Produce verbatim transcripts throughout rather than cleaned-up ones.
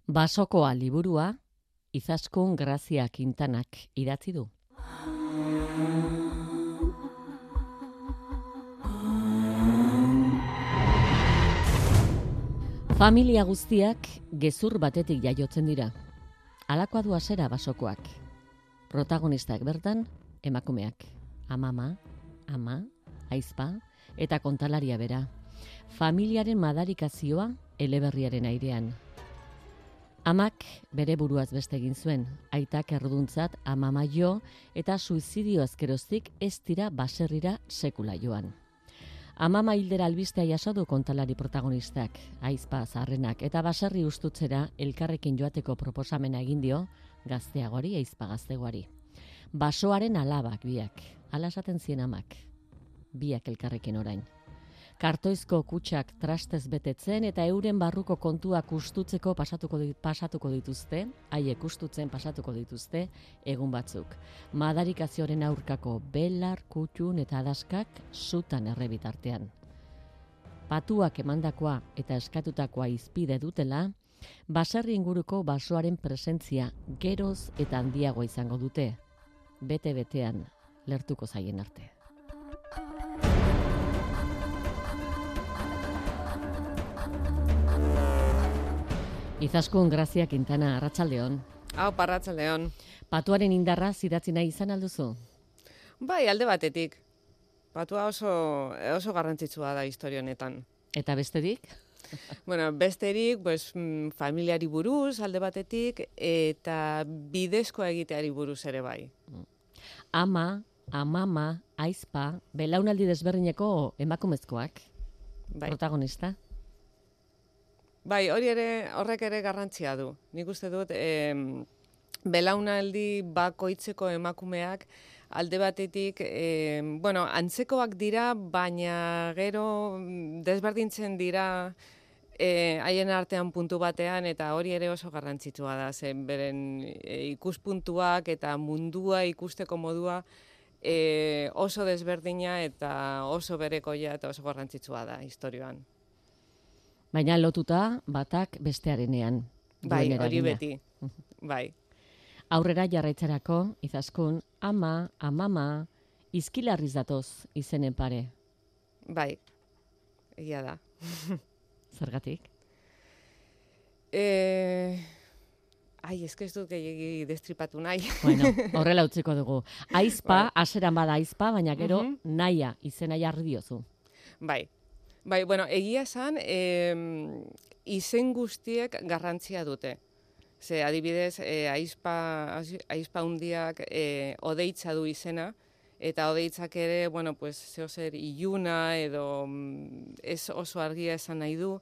Basokoa liburua Izaskun Grazia Quintanak idatzi du. Familia guztiak gezur batetik jaiotzen dira. Halakoa du hasiera basokoak. Protagonistak bertan emakumeak. Amama, ama, aizpa eta kontalaria bera. Familiaren madarikazioa eleberriaren airean. Amak bere buruaz beste egin zuen, aitak erruduntzat amama jo eta suizidio azkeroztik ez dira baserrira sekula joan. Amama hildera albistea jaso du kontalari protagonistak, aizpa zaharrenak eta baserri ustutzera elkarrekin joateko proposamena egin dio gazteagori, aizpa gaztegoari. Basoaren alabak biak, hala esaten zien amak, biak elkarrekin orain. Kartoizko kutxak trastez betetzen eta euren barruko kontuak ustutzeko pasatuko, pasatuko dituzte, haiek ustutzen pasatuko dituzte egun batzuk. Madarikazioaren aurkako belar, kutxun eta adaskak sutan errebitartean. Patuak emandakoa eta eskatutakoa izpide dutela, baserri inguruko basoaren presentzia geroz eta handiagoa izango dute, bete-betean lertuko zaien arte. Izaskun Grazia Quintana, arratsaldeon. Hau, arratsaldeon. Patuaren indarra zidatzi nahi izan alduzu? Bai, alde batetik. Patua oso, oso garrantzitsua da historia honetan. Eta besterik? Bueno, besterik, pues, familiari buruz alde batetik eta bidezkoa egiteari buruz ere bai. Ama, amama, aizpa, belaunaldi desberdineko emakumezkoak, bai. Protagonista? Bai, hori ere, horrek ere garrantzia du. Nik uste dut, eh, belaunaldi bakoitzeko emakumeak alde batetik, eh, bueno, antzekoak dira, baina gero desberdintzen dira eh, haien artean puntu batean, eta hori ere oso garrantzitsua da, zen beren eh, ikuspuntuak eta mundua ikusteko modua eh, oso desberdina eta oso berekoia eta oso garrantzitsua da historioan. Baina lotuta batak bestearenean. Bai, hori beti. Bai. Aurrera jarraitzarako, Izaskun, ama, amama, izkilarriz datoz izenen pare. Bai, egia da. Zergatik? Eh, ai, ez ez dut gehiagi destripatu nahi. Bueno, horrela utziko dugu. Aizpa, haseran bada aizpa, baina gero uh-huh. naia, izena jarri diozu. Bai. Bai, bueno, egia esan, eh, izen guztiek garrantzia dute. Ze, adibidez, eh, aizpa, aizpa hundiak eh, odeitza du izena, eta odeitzak ere, bueno, pues, zehozer iluna edo ez oso argia esan nahi du,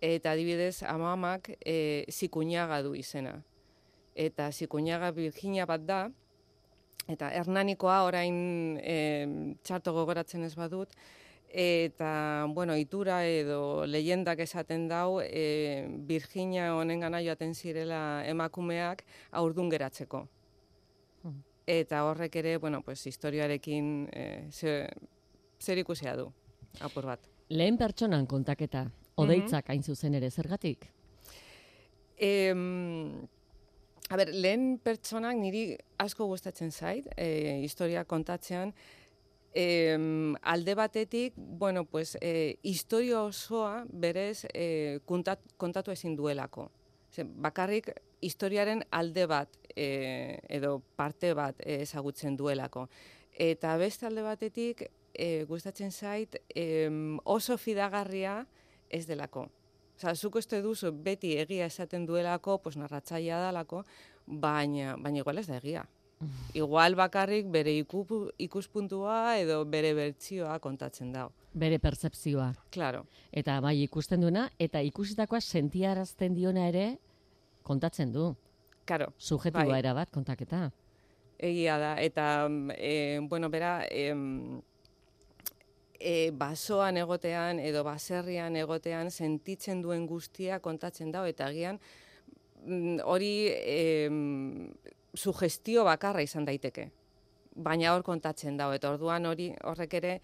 eta adibidez, amamak eh, zikuñaga du izena. Eta zikuñaga Virginia bat da, eta Hernanikoa orain eh, txarto gogoratzen ez badut, eta, bueno, itura edo leyendak esaten dau, e, Virginia honengana joaten zirela emakumeak haurdun geratzeko. Hmm. Eta horrek ere, bueno, pues, historiarekin e, zer, zer ikusia du, apur bat. Lehen pertsonan kontaketa, odeitzak mm-hmm. hain zuzen ere, zergatik? E, a ber, lehen pertsonak niri asko gustatzen zait, e, historia kontatzean, Eh, alde batetik, bueno, pues, eh, historia osoa berez eh, kontat, kontatu ezin duelako. Zer, bakarrik historiaren alde bat eh, edo parte bat eh, ezagutzen duelako. Eta beste alde batetik, eh, gustatzen zait, eh, oso fidagarria ez delako. Osa, zuk uste duzu beti egia esaten duelako, pues, narratzailea dalako, baina, baina igual ez da egia. Igual bakarrik bere ikuspuntua edo bere bertsioa kontatzen dago. Bere pertzepzioa. Claro. Eta bai ikusten duena, eta ikusitakoa sentiarazten diona ere kontatzen du. Claro. Subjetiboa bai. era bat kontaketa. Egia da, eta, e, bueno, bera, e, e, basoan egotean edo baserrian egotean sentitzen duen guztia kontatzen dago, eta agian hori e, sugestio bakarra izan daiteke, baina hor kontatzen dago, eta orduan hori horrek ere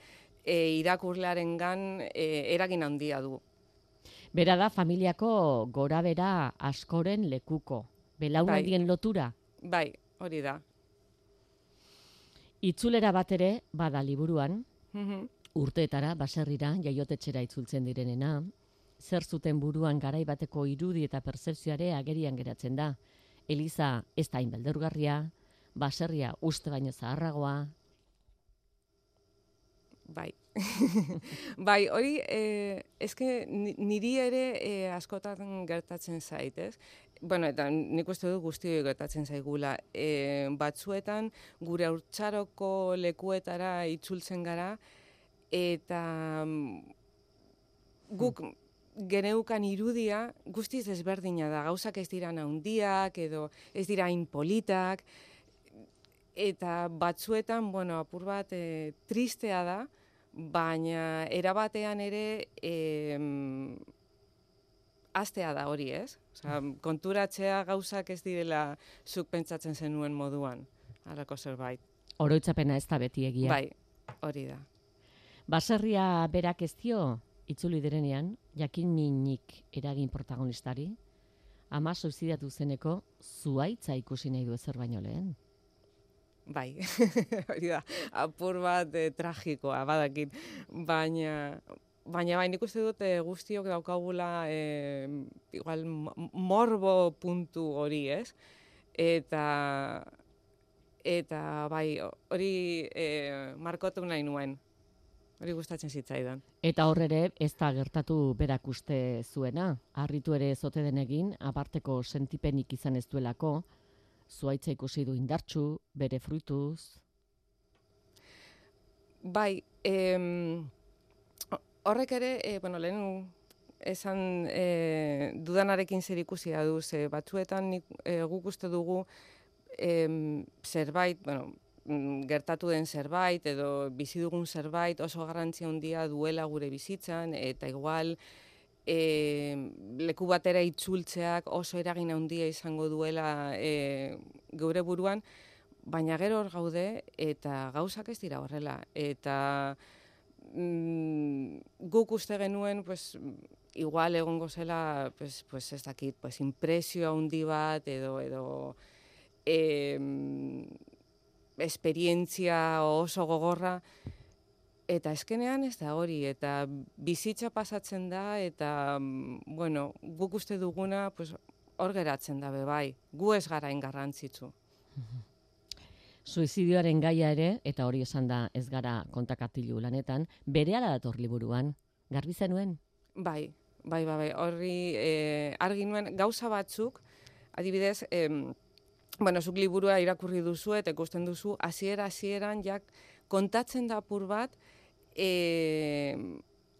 e, irakurlearengan e, eragin handia du. Bera da familiako gorabera askoren lekuko. Belaunaldien Bai. lotura. Bai, hori da. Itzulera bat ere bada liburuan, Mhm. urteetara, baserrira, jaiotetxera itzultzen direnena, zer zuten buruan garai bateko irudi eta pertzepzioare agerian geratzen da. Eliza ez da hain beldurgarria, baserria uste baino zaharragoa. Bai. Bai, hori, eh, eske niri ere eh, askotan gertatzen zait, ez? Bueno, eta nik uste dut guztioi gertatzen zaigula. E, batzuetan gure haurtzaroko lekuetara itzultzen gara, eta guk geneukan irudia guztiz ezberdina da. Gauzak ez dira handiak edo ez dira hain politak, eta batzuetan, bueno, apur bat e, tristea da, baina erabatean ere e, astea da hori, ez? Osea, konturatzea gauzak ez direla zuk pentsatzen zenuen moduan, halako zerbait. Oroitzapena ez da beti egia. Bai, hori da. Baserria berak ez dio, itzuli direnean, jakin minik eragin protagonistari, ama suizidatu zeneko zuhaitza ikusi nahi du ezer baino lehen. Bai, hori da, apur bat eh, tragikoa, badakit, baina... Baina bai, nik uste dut e, guztiok daukagula e, igual morbo puntu hori, ez? Eta, eta bai, hori e, markotu nahi nuen. Hori gustatzen zitzaidan. Eta hor ere ez da gertatu berak uste zuena. Harritu ere zote denegin, aparteko sentipenik izan ez duelako, zuhaitza ikusi du indartsu, bere fruituz. Bai, em... horrek ere, e, bueno, lehen esan e, dudanarekin zer ikusia du, ze batzuetan nik, e, guk uste dugu e, zerbait, bueno, gertatu den zerbait edo bizi dugun zerbait oso garrantzia handia duela gure bizitzan, eta igual e, leku batera itzultzeak oso eragin handia izango duela e, geure buruan, baina gero hor gaude eta gauzak ez dira horrela. Eta guk uste genuen, pues, igual egongo zela, pues, pues ez dakit, pues, impresio handi bat, edo, edo eh, esperientzia oso gogorra, eta eskenean ez da hori, eta bizitza pasatzen da, eta, bueno, guk uste duguna, pues, hor geratzen da, bai, gu ez gara garrantzitsu. Suizidioaren gaia ere, eta hori esan da ez gara kontakatilu lanetan, berehala dator liburuan. Garbi zenuen? Bai, bai, bai, bai. Horri eh, argi nuen gauza batzuk, adibidez, eh, bueno, zuk liburua irakurri duzu eta ikusten duzu, hasiera hasieran jak kontatzen da apur bat eh,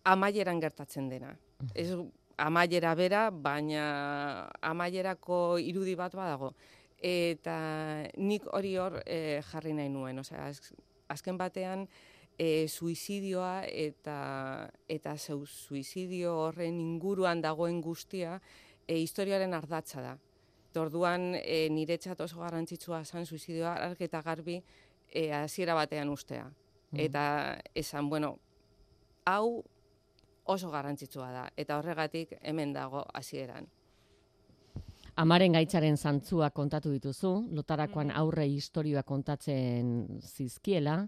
amaieran gertatzen dena. Ez amaiera bera, baina amaierako irudi bat badago. Eta nik hori hor e, jarri nahi nuen, osea, az, azken batean e, suizidioa eta eta zeu suizidio horren inguruan dagoen guztia e, historiaren ardatza da. Orduan e, niretzat oso garrantzitsua zen suizidioa argi eta garbi e, hasiera batean ustea. Mm. Eta esan, bueno, hau oso garrantzitsua da, eta horregatik hemen dago hasieran. Amaren gaitzaren zantzua kontatu dituzu, lotarakoan aurre istorioa kontatzen zizkiela,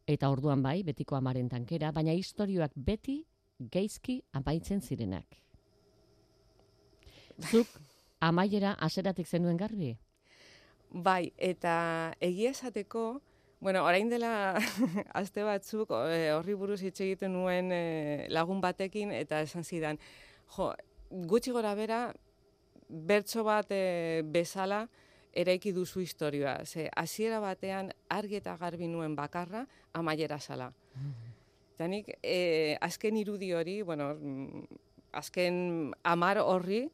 eta orduan bai, betiko amaren tankera, baina istorioak beti geizki amaitzen zirenak. Zuk amaiera haseratik zenuen garbi? Bai, eta egia esateko, bueno, orain dela aste batzuk horri buruz hitz egiten nuen lagun batekin, eta esan zidan, jo, gutxi gora bera, bertso bat e, bezala eraiki duzu historioa. Ze hasiera batean argi eta garbi nuen bakarra amaiera zala. Eta nik e, azken irudi hori, bueno, azken amar horri,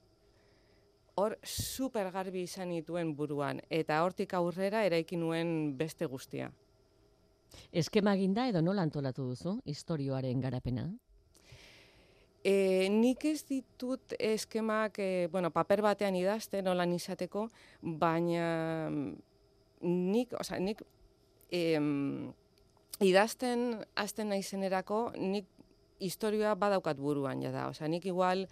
hor super garbi izan nituen buruan. Eta hortik aurrera eraiki nuen beste guztia. Eskema eginda edo nola antolatu duzu istorioaren garapena? E, nik ez ditut eskemak, e, bueno, paper batean idazten, nolan izateko, baina nik, oza, nik e, idazten hasten naizenerako, nik historioa badaukat buruan, jada. Oza, nik igual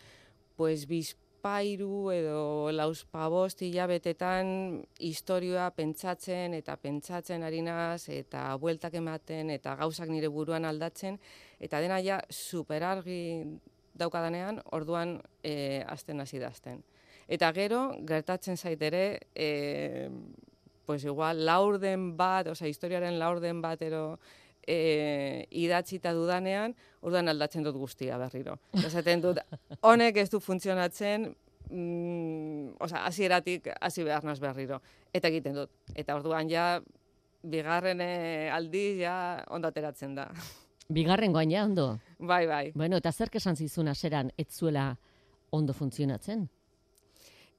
pues bizpairu edo lauzpabost hilabetetan historioa pentsatzen eta pentsatzen ari naz, eta bueltak ematen, eta gauzak nire buruan aldatzen, eta dena ja superargi daukadanean, orduan e, azten hasi dazten. Eta gero, gertatzen zait ere, e, pues igual, laurden bat, osea, historiaren laurden bat ero e, idatzita dudanean, orduan aldatzen dut guztia berriro. Esaten dut, honek ez du funtzionatzen, mm, osea, hasieratik hasi behar naz berriro. Eta egiten dut. Eta orduan ja, bigarren e, aldiz ja ondo ateratzen da. Bigarren goain ja ondo. Bai, bai. Bueno, eta zerk esan zizun aseran ez zuela ondo funtzionatzen?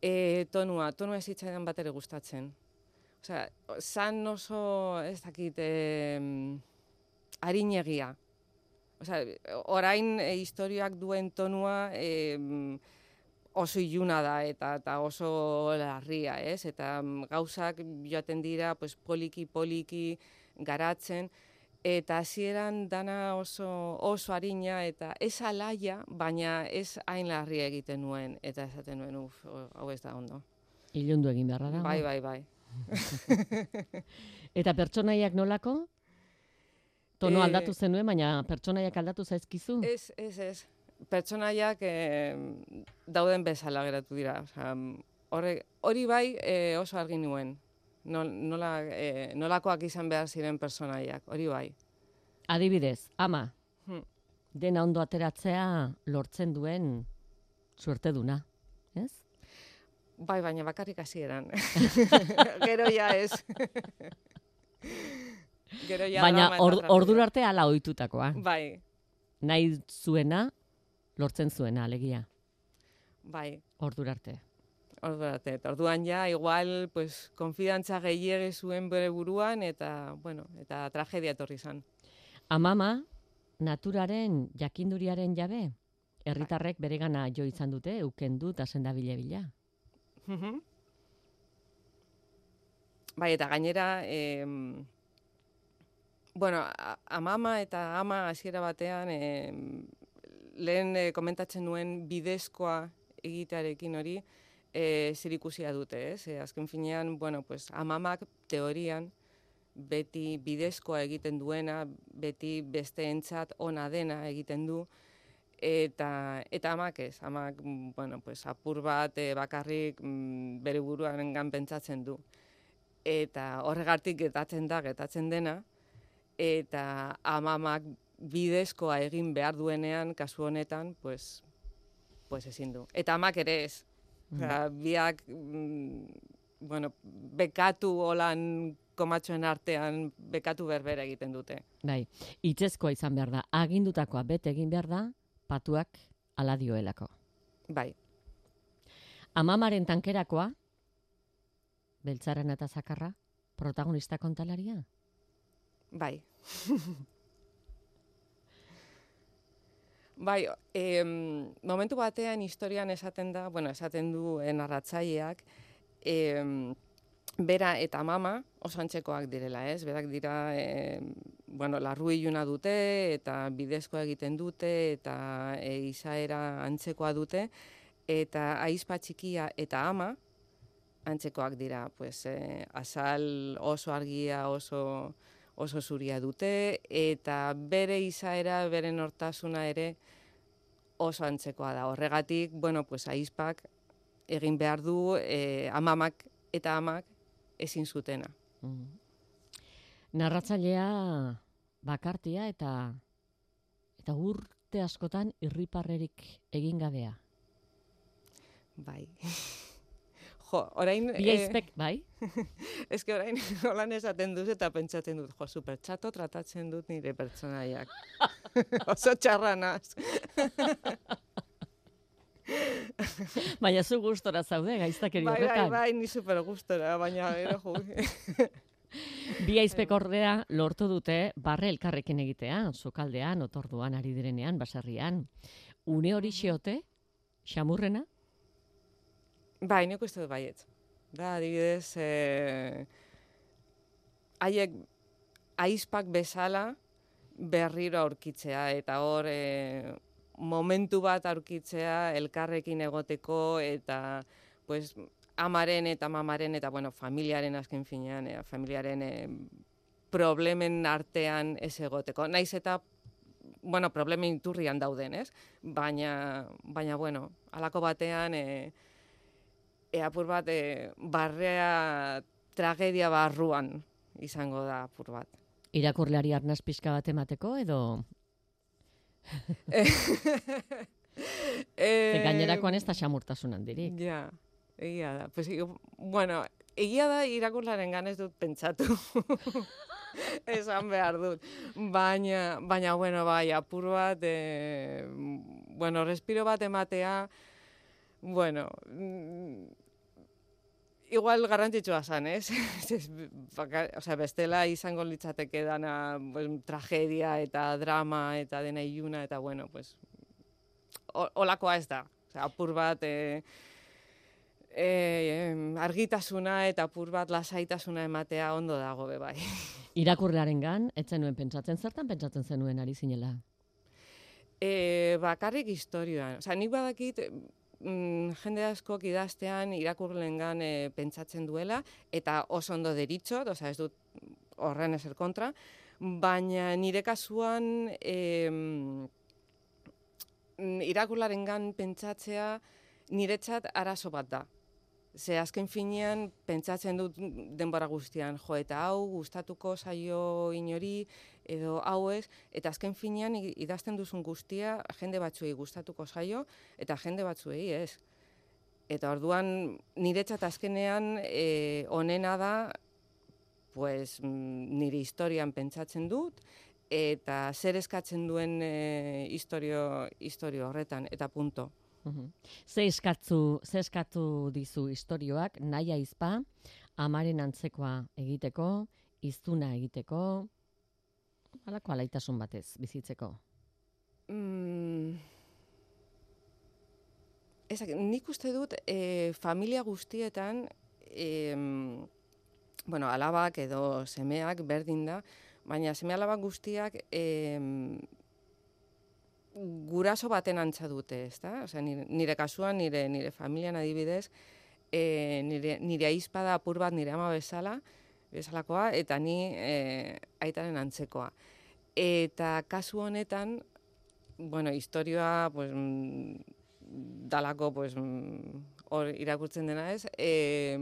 E, tonua, tonua ez zitzaidan bat ere gustatzen. Osea, zan oso, ez dakit, e, arinegia. Osea, orain e, historioak duen tonua e, oso iluna da eta, eta oso larria, ez? Eta gauzak joaten dira pues, poliki, poliki garatzen, eta hasieran dana oso, oso arina eta ez alaia, baina ez hain larria egiten nuen, eta esaten nuen, uf, hau ez da ondo. Ilundu egin beharra da. Bai, bai, bai. Eta pertsonaiak nolako? Tono E, aldatu zenuen, baina pertsonaiak aldatu zaizkizu? Ez, ez, ez. Pertsonaiak e, dauden bezala geratu dira. Osea, horre, hori bai e, oso argi nuen. Nola, e, nolakoak izan behar ziren pertsonaiak, hori bai. Adibidez, ama, Hmm. dena ondo ateratzea lortzen duen suerteduna, ez? Bai, baina bakarrik hasieran. Gero ja ez. Gero ja Baina drama eta or, tragediak. ordura arte hala ohitutakoa. Bai, Nahi zuena, lortzen zuena, alegia. bai. Ordura arte. Ordurate, eta orduan ja, igual, pues, konfidantza gehiegi zuen bere buruan, eta, bueno, eta tragedia etorri zan. Amama, naturaren jakinduriaren jabe, herritarrek beregana jo izan dute, eukendu eta sendabile bila. Mhm. Bai, eta gainera, em, bueno, a- amama eta ama hasiera batean, em, lehen eh, komentatzen nuen bidezkoa egitearekin hori, e, zerikusia dute, ez? E, azken finean, bueno, pues, amamak teorian beti bidezkoa egiten duena, beti besteentzat ona dena egiten du, eta eta amak ez, amak, mm, bueno, pues, apur bat e, bakarrik mm, bere buruarengan pentsatzen du. Eta horregatik gertatzen da, gertatzen dena, eta amamak bidezkoa egin behar duenean, kasu honetan, pues, pues ezin du. Eta amak ere ez. Osea, biak, mm, bueno, bekatu holan komatxoen artean, bekatu berbera egiten dute. Bai, hitzezkoa izan behar da, agindutakoa bete egin behar da, patuak ala dioelako. Bai, Amamaren tankerakoa, beltzaren eta zakarra, protagonista kontalaria? bai. Bai, em, momentu batean historian esaten da, bueno, esaten du eh, narratzaileak, em, bera eta mama oso antzekoak direla, ez? Berak dira, e, bueno, larru iluna dute, eta bidezkoa egiten dute, eta e, izaera antzekoa dute, eta aizpa txikia eta ama antzekoak dira, pues, e, azal oso argia, oso, oso zuria dute, eta bere izaera, bere nortasuna ere oso antzekoa da. Horregatik, bueno, pues, aizpak egin behar du e, amamak eta amak ezin zutena. Mm. Narratzailea bakartia eta eta urte askotan irriparrerik egin gabea. Bai. Jo, orain... Bi aizpek, bai? Ez que orain holan esaten duz eta pentsatzen dut, jo, supertxato tratatzen dut nire pertsonaiak. Oso txarranaz. Baina zu gustora zaude, gaiztakeri Bai, bai, horretan. bai, ni super gustora, baina gero jo. Bi aizpek ordea lortu dute barre elkarrekin egitea, sukaldean, otorduan ari direnean, baserrian. Une hori xeote, xamurrena? Bai, nik uste dut baietz. Da, adibidez, eh, haiek aizpak bezala berriro aurkitzea, eta hor, eh, momentu bat aurkitzea elkarrekin egoteko eta pues, amaren eta mamaren eta bueno, familiaren azken finean, eh, familiaren eh, problemen artean ez egoteko. Naiz eta bueno, problemen iturrian dauden, ez? Baina, baina bueno, halako batean e, e apur bat e, barrea tragedia barruan izango da apur bat. Irakurleari arnaz pixka bat emateko edo... e, gainerakoan ez da xamurtasun handirik. Ja, egia da. Pues, bueno, egia da irakurlaren ganez dut pentsatu. Esan behar dut. Baina, baina bueno, bai, apur bat, e, bueno, respiro bat ematea, bueno, igual garrantzitsua zan, ez? O sea, bestela izango litzateke dana pues, tragedia eta drama eta dena iluna, eta bueno, pues, olakoa ez da. O sea, apur bat... E, E, argitasuna eta apur bat lasaitasuna ematea ondo dago be bai. Irakurlearen gan, etzen nuen pentsatzen, zertan pentsatzen zenuen ari zinela? E, bakarrik historioan. Osa, nik badakit mm, jende askok idaztean irakurleen gan e, pentsatzen duela, eta oso ondo deritzot, osa, ez dut horren ezer kontra, baina nire kasuan e, irakurlaren gan pentsatzea niretzat arazo bat da. Ze azken finean pentsatzen dut denbora guztian, jo, eta hau gustatuko zaio inori, edo hau ez, eta azken finean idazten duzun guztia jende batzuei gustatuko zaio, eta jende batzuei ez. Eta orduan niretzat azkenean e, onena da, pues, nire historian pentsatzen dut, eta zer eskatzen duen e, historio, historio horretan, eta punto. Uhum. Ze eskatzu, ze eskatu dizu istorioak, nahi aizpa, amaren antzekoa egiteko, hiztuna egiteko, halako alaitasun batez bizitzeko? Mm. Ezak, nik uste dut e, familia guztietan, e, bueno, alabak edo semeak berdin da, baina seme alabak guztiak e, guraso baten antza dute, ezta? Osea, nire, nire kasuan, nire, nire familian adibidez, e, nire, nire aizpa da apur bat nire ama bezala, bezalakoa, eta ni e, aitaren antzekoa. Eta kasu honetan, bueno, historioa, pues, dalako, pues, hor irakurtzen dena ez, e,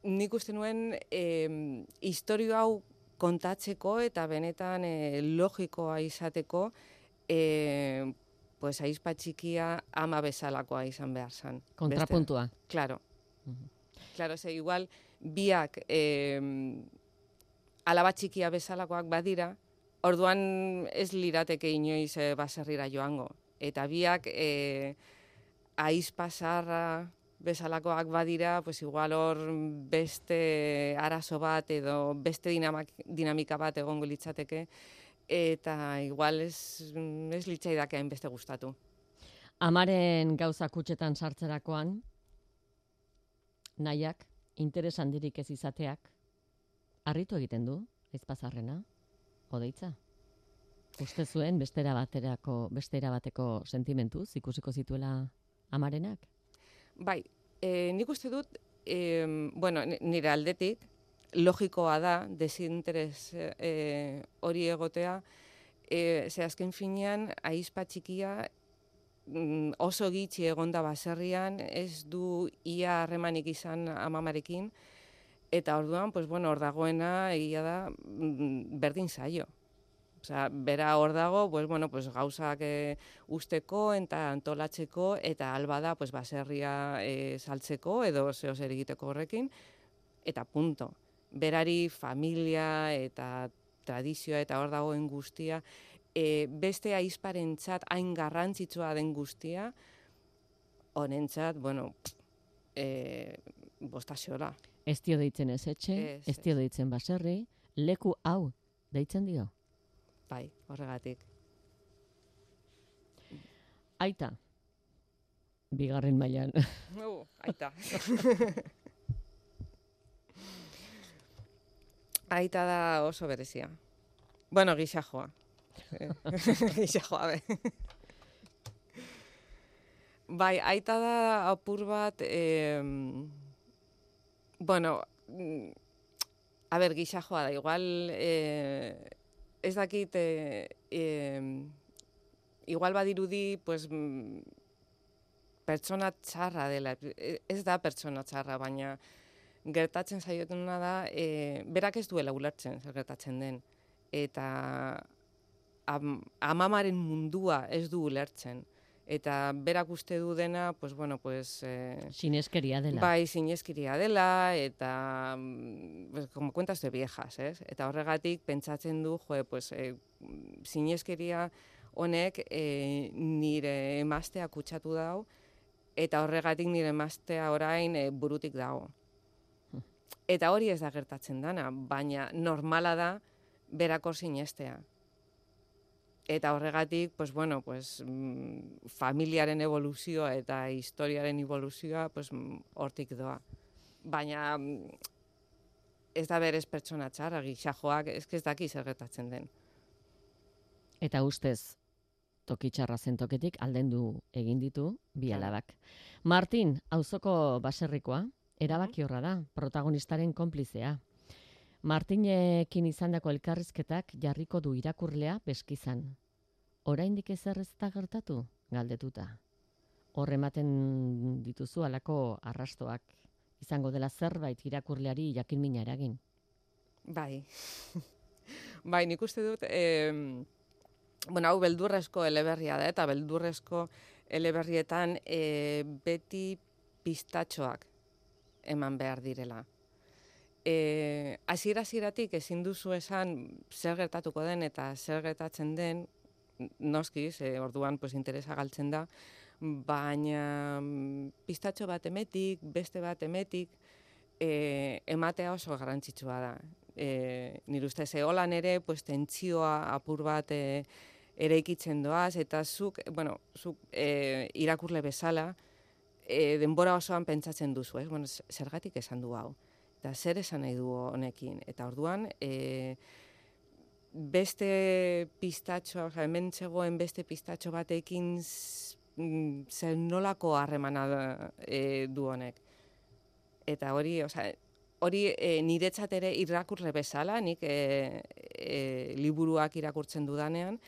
nik uste nuen e, historio hau kontatzeko eta benetan e, logikoa izateko, e, pues, aizpa txikia ama bezalakoa izan behar zan. Kontrapuntua. Beste. Claro. Uh-huh. Claro, ze igual biak e, alaba txikia bezalakoak badira, orduan ez lirateke inoiz e, baserrira joango. Eta biak e, aizpa zaharra bezalakoak badira, pues igual hor beste arazo bat edo beste dinamak, dinamika bat egongo litzateke, eta igual ez, ez litzaidake hainbeste gustatu. Amaren gauza kutxetan sartzerakoan, nahiak, interes handirik ez izateak, harritu egiten du, aizpazarrena, odeitza? Uste zuen bestera baterako, bestera bateko sentimentuz ikusiko zituela amarenak? Bai, e, nik uste dut, e, bueno, nire aldetik, logikoa da, desinteres e, hori egotea, e, ze azken finean, aizpa txikia mm, oso gitxi egonda baserrian, ez du ia harremanik izan amamarekin, eta orduan, pues, bueno, hor dagoena, egia da, mm, berdin zaio. Osea, bera hor dago, pues, bueno, pues, gauzak e, usteko eta antolatzeko, eta alba da, pues, baserria e, saltzeko edo zeo zer egiteko horrekin, eta punto. Berari familia eta tradizioa eta hor dagoen guztia, e, beste aizparentzat hain garrantzitsua den guztia, honentzat, bueno, e, bostaxola. Ez dio deitzen ez etxe, ez, ez dio deitzen baserri, leku hau deitzen dio. Bai, horregatik. Aita, bigarren mailan. Uh, aita. Aita da oso berezia. Bueno, gisa joa. Gisa joa be. Bai, aita da apur bat, eh, bueno, mm, a ber, gisa joa da, igual, eh, ez dakit, eh, eh, igual badirudi, pues, mm, pertsona txarra dela, ez da pertsona txarra, baina gertatzen zaiotuna da, e, berak ez duela ulertzen zer gertatzen den. Eta am, amamaren mundua ez du ulertzen. Eta berak uste du dena, pues, bueno, pues... Eh, Sineskeria dela. Bai, sineskeria dela, eta, pues, como cuentas de viejas, ez? Eta horregatik pentsatzen du, jo, pues, eh, sineskeria honek eh, nire emaztea kutsatu dau, eta horregatik nire emaztea orain e, burutik dago. Eta hori ez da gertatzen dana, baina normala da berako sinestea. Eta horregatik, pues, bueno, pues, mm, familiaren evoluzioa eta historiaren evoluzioa pues, hortik doa. Baina mm, ez da berez pertsona txarra, gixajoak, ez ez daki zer gertatzen den. Eta ustez, toki txarra zen toketik aldendu egin ditu bi alabak. Martin, auzoko baserrikoa, erabakiorra da, protagonistaren konplizea. Martinekin izandako elkarrizketak jarriko du irakurlea beskizan. Oraindik ezer ez da gertatu, galdetuta. Hor ematen dituzu halako arrastoak, izango dela zerbait irakurleari jakinmina eragin. Bai. Bai, nik uste dut, eh, bueno, hau beldurrezko eleberria da, eta beldurrezko eleberrietan e, beti pistatxoak eman behar direla. E, Hasiera-hasieratik ezin duzu esan zer gertatuko den eta zer gertatzen den, noski, ze orduan pues, interesa galtzen da, baina pistatxo bat emetik, beste bat emetik, e, ematea oso garrantzitsua da. E, nire ustez, holan ere, pues, tentsioa apur bat e, eraikitzen doaz, eta zuk, bueno, zuk e, irakurle bezala, e, denbora osoan pentsatzen duzu, ez? Bueno, zergatik esan du hau, eta zer esan nahi du honekin, eta orduan, e, beste pistatxo, oza, hemen zegoen beste pistatxo batekin zer nolako harremana e, du honek. Eta hori, oza, hori e, niretzat ere irakurle bezala, nik e, e, liburuak irakurtzen dudanean,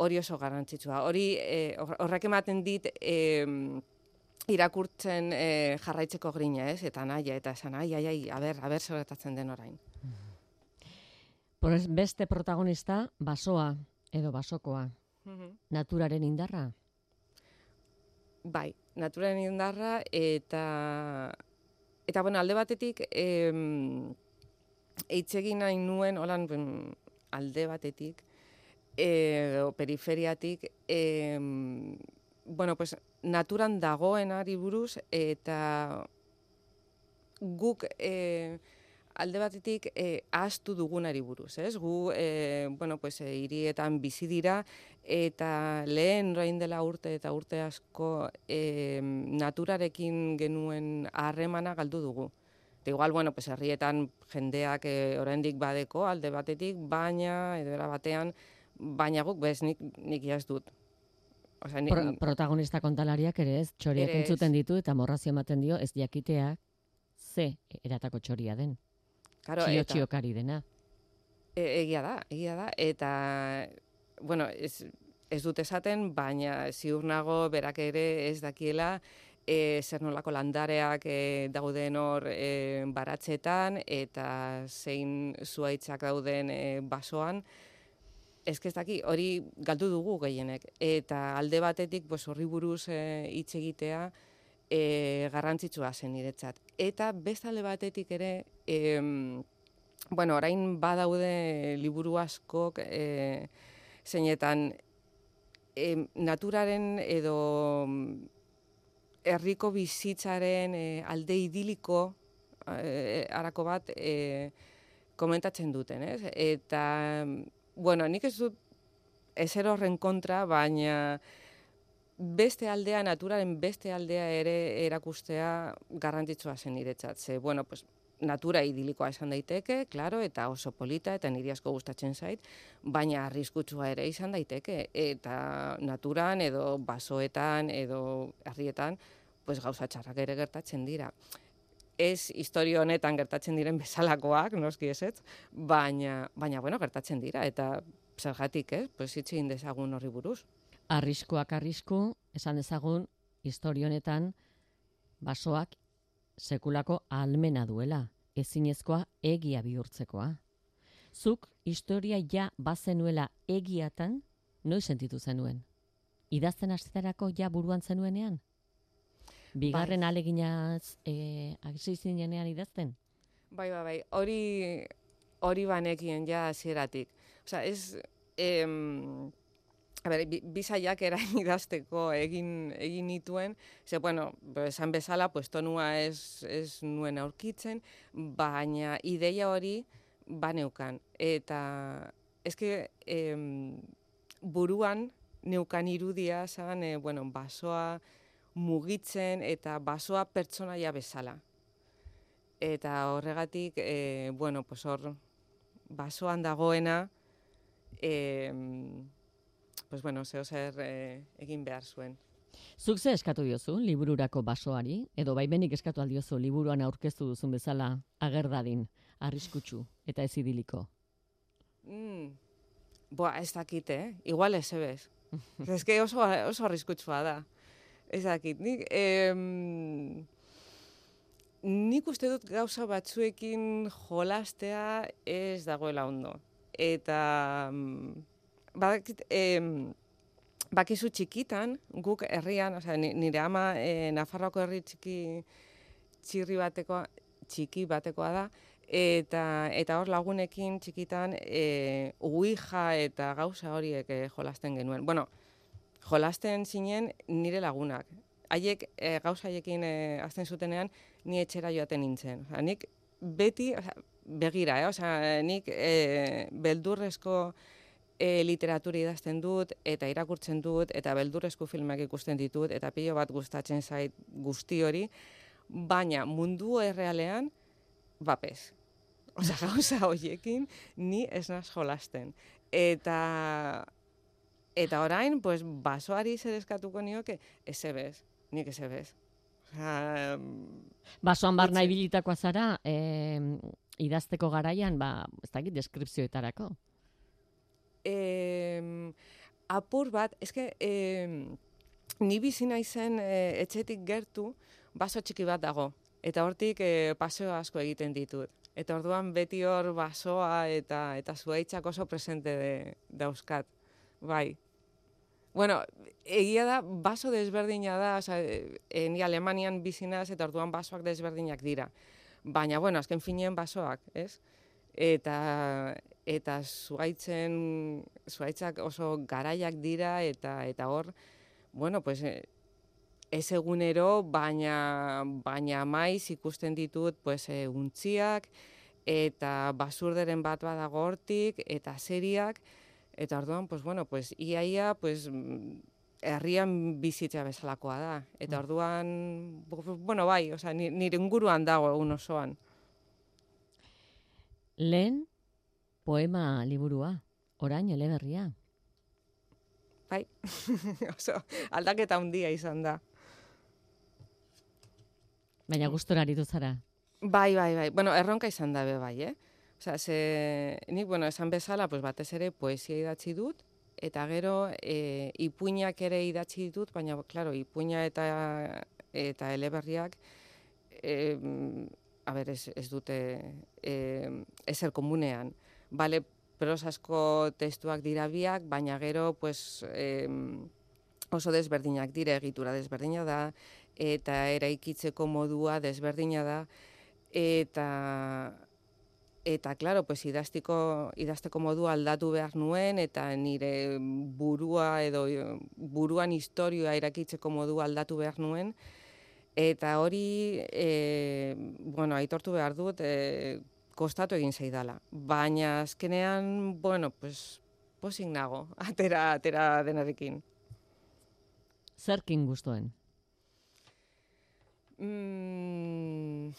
hori oso garrantzitsua. Hori e, horrek ematen dit e, irakurtzen e, jarraitzeko grina, ez? Eta naia, eta esan, ai, ai, ai, a ber, a ber zer gertatzen den orain. Beste protagonista, basoa edo basokoa. Mhm. Naturaren indarra? Bai, naturaren indarra eta eta bueno, alde batetik eh, eitzegin nahi nuen holan alde batetik eh, o periferiatik eh, bueno, pues naturan dagoenari buruz eta guk eh, alde batetik eh, ahaztu dugunari buruz, ez? Gu, eh, bueno, pues, eh, hirietan bizi dira, eta lehen orain dela urte eta urte asko eh, naturarekin genuen harremana galdu dugu. Eta igual, bueno, pues, herrietan jendeak eh, oraindik badeko alde batetik, baina, edo era batean, baina guk bez nik, nik jaz dut. Osea, ni, Pro, protagonista kontalariak ere ez, txoriak ere ez. entzuten ditu eta morrazio ematen dio ez jakiteak ze eratako txoria den. Claro, Txio-txiokari dena. E, egia da, egia da, eta, bueno, ez, ez dut esaten, baina ziur nago berak ere ez dakiela e, zer nolako landareak e, dauden hor e, baratzetan, eta zein zuaitzak dauden e, basoan, ez ez daki, hori galdu dugu gehienek, eta alde batetik pues, horri buruz e, hitz egitea e, garrantzitsua zen niretzat. Eta beste alde batetik ere, e, bueno, orain badaude liburu askok e, zeinetan e, naturaren edo herriko bizitzaren e, alde idiliko e, arako bat e, komentatzen duten, ez? Eta, bueno, nik ez dut ezer horren kontra, baina beste aldea, naturaren beste aldea ere erakustea garrantzitsua zen niretzat. Ze, bueno, pues, natura idilikoa esan daiteke, claro, eta oso polita, eta niri asko gustatzen zait, baina arriskutsua ere izan daiteke, eta naturan edo basoetan edo herrietan, pues gauza txarrak ere gertatzen dira. Ez historia honetan gertatzen diren bezalakoak, noski ezetz, baina, baina bueno, gertatzen dira, eta zergatik, ez? Pues hitz egin dezagun horri buruz. Arriskuak arrisku, esan dezagun, historia honetan basoak sekulako ahalmena duela, ezinezkoa egia bihurtzekoa. Zuk historia ja bazenuela egiatan, noiz sentitu zenuen? Idazten hasterako ja buruan zenuenean? Bigarren bai. Aleginaz e, hasi zinenean idazten? Bai, bai, bai. Hori hori banekien ja hasieratik. Osea, ez em, a ber, bizaiak erain idazteko egin egin nituen, ze bueno, esan bezala, pues tonua ez ez nuen aurkitzen, baina ideia hori baneukan eta eske em, buruan neukan irudia zan, e, bueno, basoa mugitzen eta basoa pertsonaia bezala. Eta horregatik, e, bueno, pues hor basoan dagoena, e, pues bueno, zeo zer e, egin behar zuen. Zuk ze eskatu diozu libururako basoari, edo baimenik eskatu aldiozu liburuan aurkeztu duzun bezala agerdadin, arriskutsu eta ez idiliko? Mm. Boa, ez dakit, eh? Igual ez ebez. Ez que oso, oso arriskutsua da. Ez dakit, nik, em, nik uste dut gauza batzuekin jolastea ez dagoela ondo. Eta, badakit, em, bakizu txikitan, guk herrian, osea, nire ama e, Nafarroako herri txiki, txirri batekoa, txiki batekoa da, eta eta hor lagunekin txikitan e, uija eta gauza horiek e, jolasten genuen. Bueno, jolasten zinen nire lagunak. Haiek e, gauza haiekin e, azten zutenean ni etxera joaten nintzen. Osea, nik beti, osea, begira, eh? Osea, nik e, beldurrezko e, literatura idazten dut eta irakurtzen dut eta beldurrezko filmak ikusten ditut eta pilo bat gustatzen zait guzti hori, baina mundu errealean bapez. Osea, gauza horiekin ni ez naz jolasten. Eta eta orain, pues, basoari zer eskatuko nioke, ez ebez, nik ez ebez. Osea, basoan barna ibilitakoa zara, eh, idazteko garaian, ba, ez dakit, deskripzioetarako. Eh, apur bat, eske, eh, ni bizi naizen eh, etxetik gertu, baso txiki bat dago. Eta hortik e, paseo asko egiten ditut. Eta orduan beti hor basoa eta eta zuhaitzak oso presente de, dauzkat. Bai. Bueno, egia da, baso desberdina da, oza, e, ni Alemanian bizinaz eta orduan basoak desberdinak dira. Baina, bueno, azken finean basoak, ez? Eta eta zuhaitzen, zuhaitzak oso garaiak dira eta eta hor, bueno, pues, e, ez egunero, baina, baina maiz ikusten ditut pues, e, untziak, eta basurderen bat badago hortik, eta seriak, eta orduan, pues, bueno, pues, iaia, pues, herrian bizitza bezalakoa da. Eta orduan, bueno, bai, osea, nire inguruan dago egun osoan. Lehen, poema liburua, orain eleberria. Bai, oso, aldaketa handia izan da. Baina gustora aritu zara. Bai, bai, bai. Bueno, erronka izan da be bai, eh? Osea, ze nik, bueno, esan bezala, pues batez ere poesia idatzi dut, eta gero e, ipuinak ere idatzi ditut, baina, claro, ipuina eta eta eleberriak, e, a ber, ez, ez dute e, ezer komunean. Bale, prosasko testuak dira biak, baina gero, pues, e, oso desberdinak dira, egitura desberdina da, eta eraikitzeko modua desberdina da, eta, eta claro, pues, idaztiko, idazteko modua aldatu behar nuen, eta nire burua edo buruan historioa erakitzeko modua aldatu behar nuen, eta hori, e, bueno, aitortu behar dut, e, kostatu egin zaidala. Baina azkenean, bueno, pues, posik nago, atera, atera denarekin. Zerkin gustuen? Mm,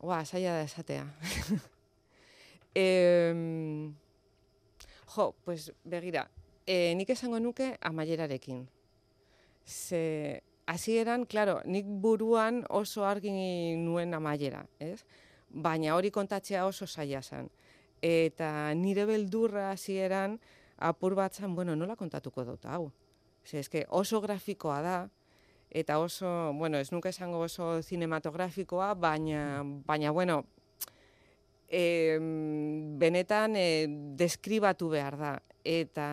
Ua, zaila da esatea. e, jo, pues begira, e, nik esango nuke amaierarekin. Ze, hasieran, claro, nik buruan oso argi nuen amaiera, ez? Baina hori kontatzea oso zaila zen. Eta nire beldurra hasieran apur bat zen, bueno, nola kontatuko dut, hau? Ze, eske oso grafikoa da, eta oso, bueno, ez nuke esango oso cinematografikoa, baina, baina bueno, e, benetan e, deskribatu behar da. Eta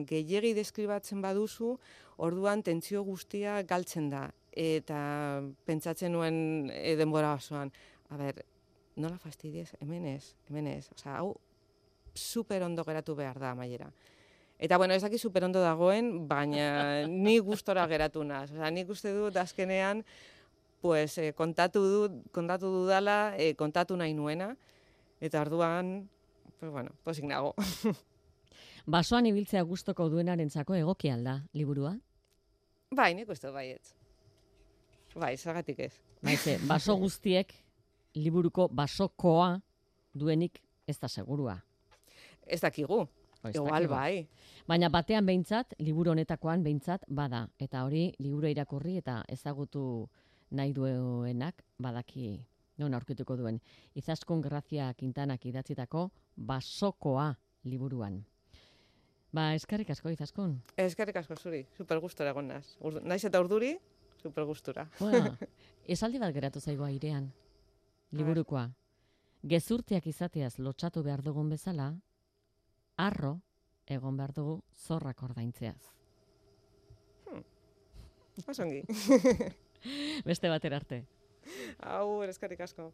gehiegi deskribatzen baduzu, orduan tentsio guztia galtzen da. Eta pentsatzen nuen e, denbora osoan, a ber, nola fastidiez, hemen ez, hemen ez. Osea, hau super ondo geratu behar da amaiera. Eta, bueno, ez daki super ondo dagoen, baina ni gustora geratu naz. Osea, nik uste dut azkenean, pues, eh, kontatu dut, kontatu dudala, eh, kontatu nahi nuena, eta orduan, pues, bueno, posik nago. Basoan ibiltzea gustoko duenarentzako egoki alda, liburua? Bai, nik uste baietz. Bai, zergatik ez. Baize, baso guztiek liburuko basokoa duenik ez da segurua. Ez dakigu. Ez Igual dakigu. bai. Baina batean behintzat, liburu honetakoan behintzat bada. Eta hori liburu irakurri eta ezagutu nahi duenak badaki non aurkituko duen. Izaskun Grazia Quintanak idatzitako basokoa liburuan. Ba, eskerrik asko, Izaskun. Eskerrik asko zuri, super gustora egon naz. Urdu, naiz eta urduri, super gustura. Bueno, esaldi bat geratu zaigu airean, liburukoa. Gezurtiak izateaz lotxatu behar dugun bezala, arro egon behar dugu zorrak ordaintzeaz. Hmm. Osongi. Beste batera arte. Hau, eskerrik asko.